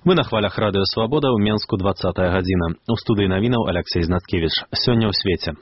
Мы на хвалях радыё «Свабода» ў Менску 20-я гадзіна. У студыі навінаў Алексей Знаткевич. Сёння ў свеце.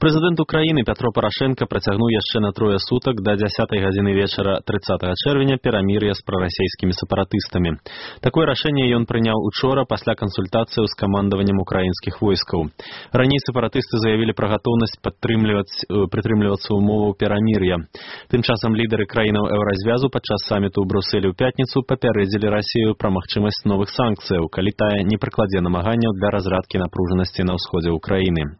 Прэзідэнт Украіны Пятро Парашенко працягнуў яшчэ на 3 сутак да 10-й гадзіны вечара 30 чэрвеня перамір'я з прарасейскімі сепаратыстамі. Такое рашэнне ён прыняў учора пасля кансультацыяў з камандаваннем украінскіх войскаў. Раней сепаратысты заявілі пра гатоўнасць прытрымлівацца ўмоваў перамір'я. Тым часам лідары краінаў еўразвязу падчас саміту ў Брусэлі ў пятніцу папярэдзілі Расію пра магчымасць новых санкцыяў, калі тая не прыкладзе намаганняў для разрадкі напружанасці на ўсходзе ўкраіны.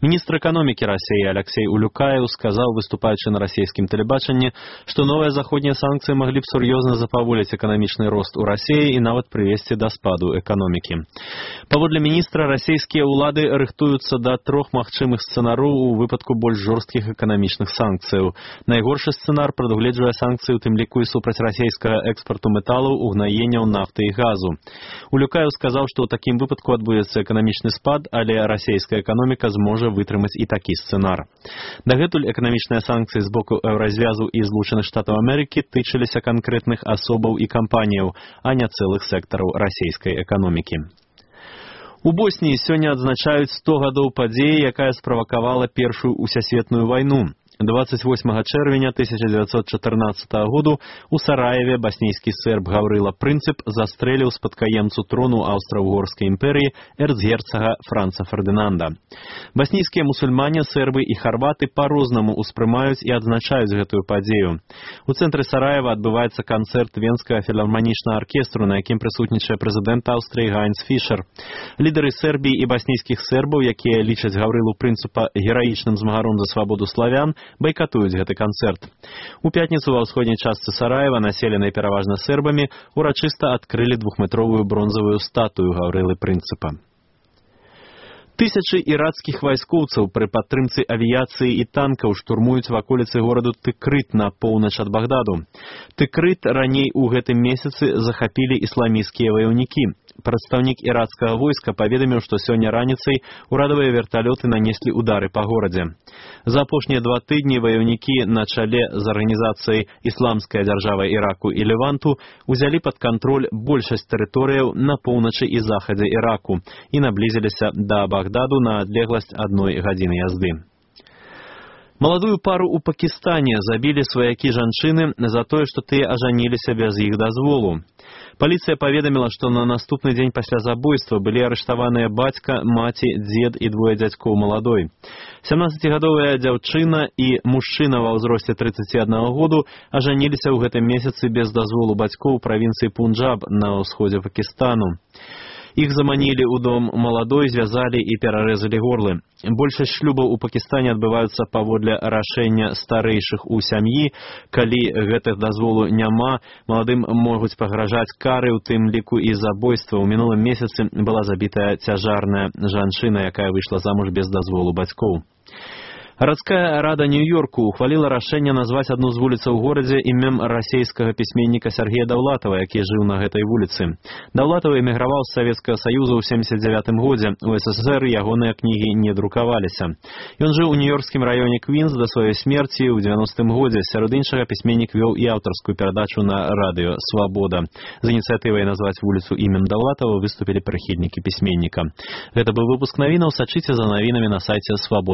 Міністр эканомікі России Алексей Улюкаев сказал, выступаючи на российском телебачении, что новые заходние санкции могли бы серьезно запаволить экономичный рост у России и нават привести до спаду экономики. Паводле министра, российские улады рыхтуются до 3 магчымых сцэнараў у выпадку больш жорсткіх эканамічных санкцыяў. Найгоршы сцэнар прадугледжвае санкцыі, у тым ліку і супраць расійскага экспарту металаў, угнаенняў нафты і газу. Улюкаев сказал, что ў такім выпадку адбудзецца эканамічны спад, але расійская эканоміка зможа вытрымаць і такі сцэнар. Дагэтуль эканамічныя санкцыі з боку еўразвязу і Злучаных Штатаў Амерыкі тычыліся канкрэтных асобаў і кампаніяў, а не цэлых сектараў расійскай эканомікі. У Босніі сёння адзначаюць 100 гадоў падзеі, якая справакавала Першую усесветную вайну. 28 чэрвеня 1914 году у Сараеве баснійскі серб Гаврыла Прынцып застрэліў спадкаемцу трону Аўстра-Угорскай імперыі эрцгерцага Франца Фердынанда. Баснійскія мусульмане, сербы і харваты па-рознаму ўспрымаюць і адзначаюць гэтую падзею. У цэнтры Сараева адбываецца канцэрт Венскага філарманічнага аркестру, на якім прысутнічае прэзідэнт Аўстрыі Гаінц Фішер. Лідары Сербіі і баснійскіх сербаў, якія лічаць Гаврылу Прынцыпа гераічным змагаром за свабоду славян, байкатуюць гэты канцэрт. У пятніцу ва ўсходняй частцы Сараева, населенай пераважна сербамі, урачыста адкрылі 2-метровую бронзавую статую Гаврылы Прынцыпа. Тысячы іракскіх вайскоўцаў пры падтрымцы авіяцыі і танкаў штурмуюць ваколіцы гораду Тыкрыт на поўнач ад Багдаду. Тыкрыт раней у гэтым месяцы захапілі ісламісцкія ваяўнікі. Прадстаўнік іракскага войска паведаміў, што сёння раніцай урадавыя верталёты нанеслі удары па горадзе. За апошнія 2 тыдні ваяўнікі на чале з арганізацыяй «Ісламская дзяржава Іраку і Леванту» узялі пад кантроль большасць тэрыторыяў на поўначы і захадзе Іраку і наблізіліся да Багдаду на адлегласць 1 гадзіны язды. Маладую пару ў Пакістане забілі сваякі жанчыны за тое, што тыя ажаніліся без іх дазволу. Паліцыя паведаміла, што на наступны дзень пасля забойства былі арыштаваныя бацька, маці, дзед і 2 дзядзькоў маладой. 17-гадовая дзяўчына і мужчына ва ўзросце 31 году ажаніліся ў гэтым месяцы без дазволу бацькоў у правінцыі Пунджаб на ўсходзе Пакістану. Іх заманілі ў дом маладой, звязалі і перарэзалі горлы. Большасць шлюбаў у Пакістане адбываюцца паводле рашэння старэйшых у сям'і. Калі гэтых дазволу няма, маладым могуць пагражаць кары, у тым ліку і забойства. У мінулым месяцы была забітая цяжарная жанчына, якая выйшла замуж без дазволу бацькоў. Гарадская рада Нью-Йорку ухваліла рашэнне назваць адну з вуліцаў у горадзе імем расейскага пісьменніка Сергея Даўлатава, які жыў на гэтай вуліцы. Даўлатаў эміграваў з Савецкага Саюза ў 79 годзе. У СССР ягоныя кнігі не друкаваліся. Ён жыў у нью-йоркскім раёне Квінс да сваёй смерці ў 90-м годзе. Сярод іншага пісьменнік вёў і аўтарскую перадачу на радыё «Свабода». З ініцыятывай назваць вуліцу імем Даўлатава выступілі прыхільнікі пісьменніка. Гэта быў выпуск навінаў. Сачыце за навінамі на сайце «Свабода».